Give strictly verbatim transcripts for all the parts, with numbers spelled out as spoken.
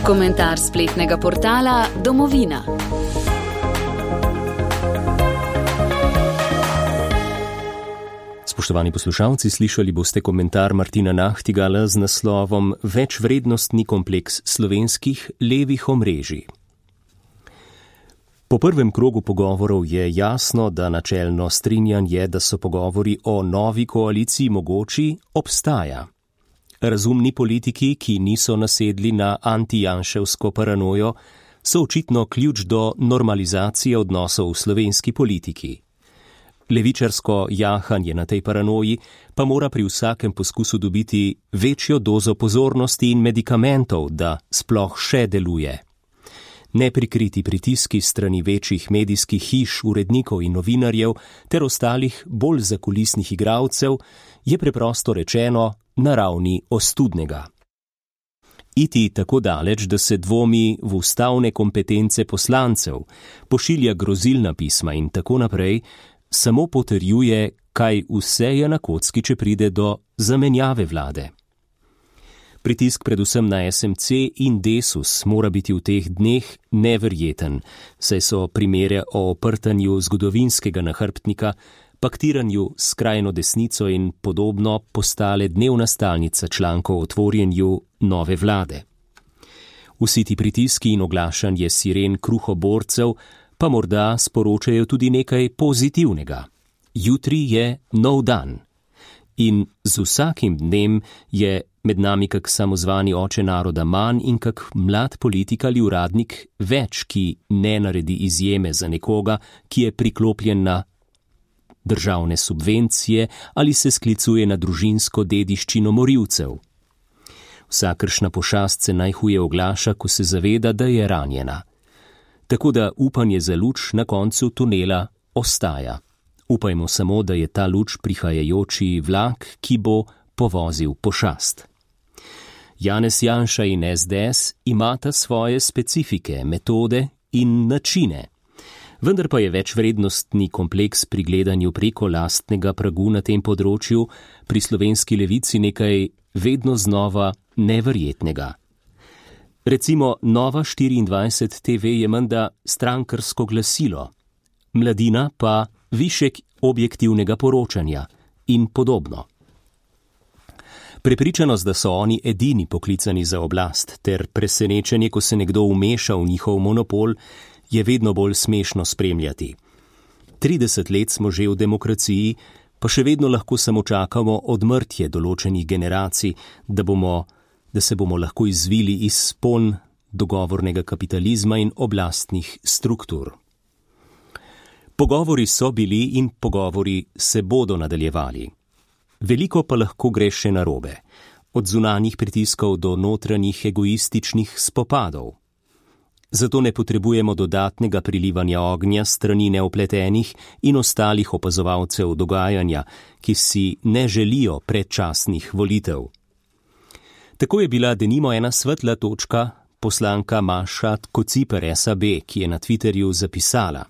Komentar spletnega portala Domovina. Spoštovani poslušalci, slišali boste komentar Martina Nahtigala z naslovom Večvrednostni kompleks slovenskih levih omrežij. Po prvem krogu pogovorov je jasno, da načelno strinjanje, da so pogovori o novi koaliciji mogoči, obstaja. Razumni politiki, ki niso nasedli na antijanševsko paranojo, so očitno ključ do normalizacije odnosov v slovenski politiki. Levičarsko jahanje na tej paranoji pa mora pri vsakem poskusu dobiti večjo dozo pozornosti in medikamentov, da sploh še deluje. Neprikriti pritiski strani večjih medijskih hiš, urednikov in novinarjev ter ostalih bolj zakulisnih igralcev je preprosto rečeno na ravni ostudnega. Iti tako daleč, da se dvomi v ustavne kompetence poslancev, pošilja grozilna pisma in tako naprej, samo potrjuje, kaj vse je na kocki, če pride do zamenjave vlade. Pritisk predvsem na es em ce in Desus mora biti v teh dneh neverjeten, saj so primere o oprtanju zgodovinskega nahrbtnika, paktiranju s skrajno desnico in podobno postale dnevna stalnica člankov o tvorjenju nove vlade. Vsi ti pritiski in oglašanje siren kruhoborcev pa morda sporočajo tudi nekaj pozitivnega. Jutri je nov dan. In z vsakim dnem je med nami kak samozvani oče naroda manj in kak mlad politik ali uradnik več, ki ne naredi izjeme za nekoga, ki je priklopljen na državne subvencije ali se sklicuje na družinsko dediščino morilcev. Vsakršna pošast se najhuje oglaša, ko se zaveda, da je ranjena. Tako da upanje za luč na koncu tunela ostaja. Upajmo samo, da je ta luč prihajajoči vlak, ki bo povozil pošast. Janez Janša in es de es imata svoje specifike, metode in načine. Vendar pa je večvrednostni kompleks pri gledanju preko lastnega pragu na tem področju pri slovenski levici nekaj vedno znova neverjetnega. Recimo Nova štiriindvajset te ve je menda strankarsko glasilo, Mladina pa višek objektivnega poročanja in podobno. Prepričanost, da so oni edini poklicani za oblast, ter presenečenje, ko se nekdo vmeša v njihov monopol, je vedno bolj smešno spremljati. trideset let smo že v demokraciji, pa še vedno lahko samo čakamo odmrtje določenih generacij, da bomo, da se bomo lahko izvili iz spon dogovornega kapitalizma in oblastnih struktur. Pogovori so bili in pogovori se bodo nadaljevali. Veliko pa lahko gre še narobe, od zunanjih pritiskov do notranjih egoističnih spopadov. Zato ne potrebujemo dodatnega prilivanja ognja strani neopletenih in ostalih opazovalcev dogajanja, ki si ne želijo predčasnih volitev. Tako je bila denimo ena svetla točka poslanka Maša Kociper es a be, ki je na Twitterju zapisala: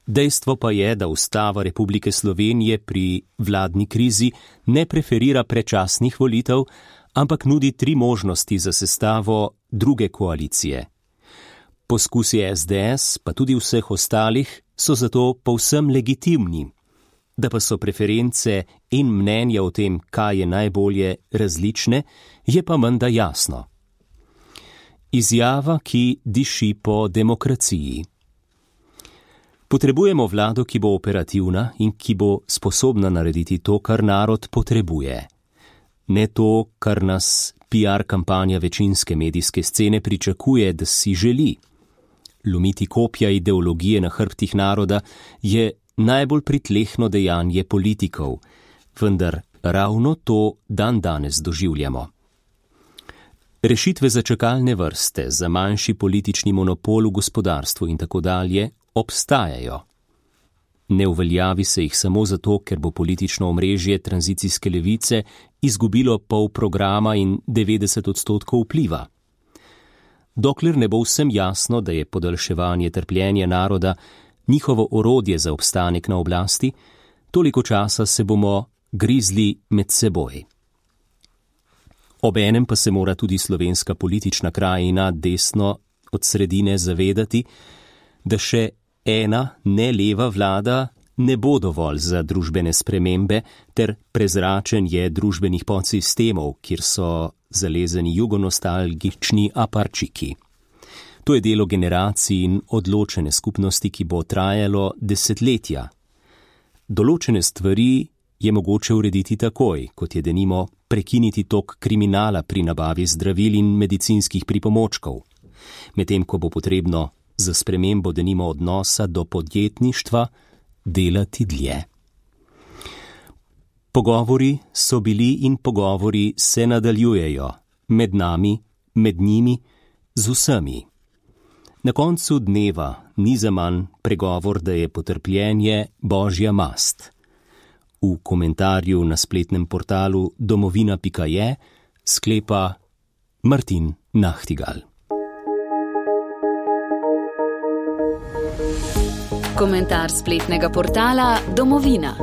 Dejstvo pa je, da Ustava Republike Slovenije pri vladni krizi ne preferira predčasnih volitev, ampak nudi tri možnosti za sestavo druge koalicije. Poskusi es de es, pa tudi vseh ostalih, so zato povsem legitimni. Da pa so preference in mnenja o tem, kaj je najbolje, različne, je pa menda jasno. Izjava, ki diši po demokraciji. Potrebujemo vlado, ki bo operativna in ki bo sposobna narediti to, kar narod potrebuje. Ne to, kar nas pi ar kampanja večinske medijske scene pričakuje, da si želi. Lomiti kopja ideologije na hrbtih naroda je najbolj pritlehno dejanje politikov, vendar ravno to dan danes doživljamo. Rešitve za čakalne vrste, za manjši politični monopol v gospodarstvu in tako dalje obstajajo. Ne uveljavi se jih samo zato, ker bo politično omrežje tranzicijske levice izgubilo pol programa in devetdeset odstotkov vpliva. Dokler ne bo vsem jasno, da je podaljševanje trpljenja naroda njihovo orodje za obstanek na oblasti, toliko časa se bomo grizli med seboj. Obenem pa se mora tudi slovenska politična krajina desno od sredine zavedati, da še ena ne leva vlada ne bo dovolj za družbene spremembe ter prezračenje družbenih podsistemov, kjer so zalezeni jugonostalgični aparčiki. To je delo generacij in odločene skupnosti, ki bo trajalo desetletja. Določene stvari je mogoče urediti takoj, kot je denimo prekiniti tok kriminala pri nabavi zdravil in medicinskih pripomočkov, medtem ko bo potrebno za spremembo denimo odnosa do podjetništva delati dlje. Pogovori so bili in pogovori se nadaljujejo, med nami, med njimi, z vsemi. Na koncu dneva ni zaman pregovor, da je potrpljenje božja mast. V komentarju na spletnem portalu domovina pika je sklepa Martin Nachtigal. Komentar spletnega portala Domovina.